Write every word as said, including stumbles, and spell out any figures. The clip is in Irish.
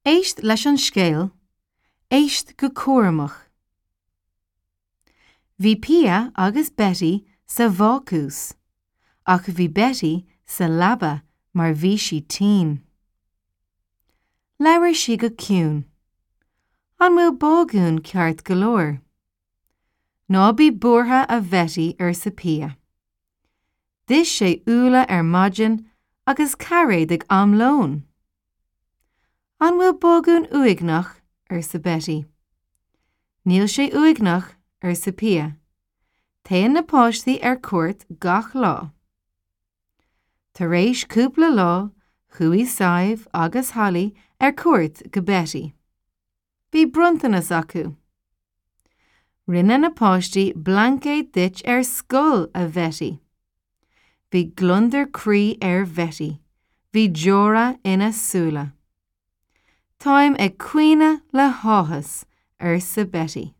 Éist leis an scéal, éist go cúramach. Bhí Pia agus Betty sa bhácús, ach bhí Betty sa leaba mar bhí sí tinn. Labhair sí go ciúin. An bhfuil Bágún ceart go leor. Ná bí buartha a Bhetty arsa Pia. D'ith sé úlla ar maidin agus cairéad ag am lóin. An bhfuil Bágún uaigneach arsa Betty. Níl sé uaigneach arsa Pia. Téann na páistí ar cuairt gach lá. Tar éis cúpla lá chuaigh Sadhbh agus Holly ar cuairt go Betty. Bhí bronntanas acu. Rinne na páistí blaincéad duit ar scoil a Bhetty. Bhí gliondar croí ar Bhetty, Bhí deora ina súile. Táim ag caoineadh le háthas arsa Betty.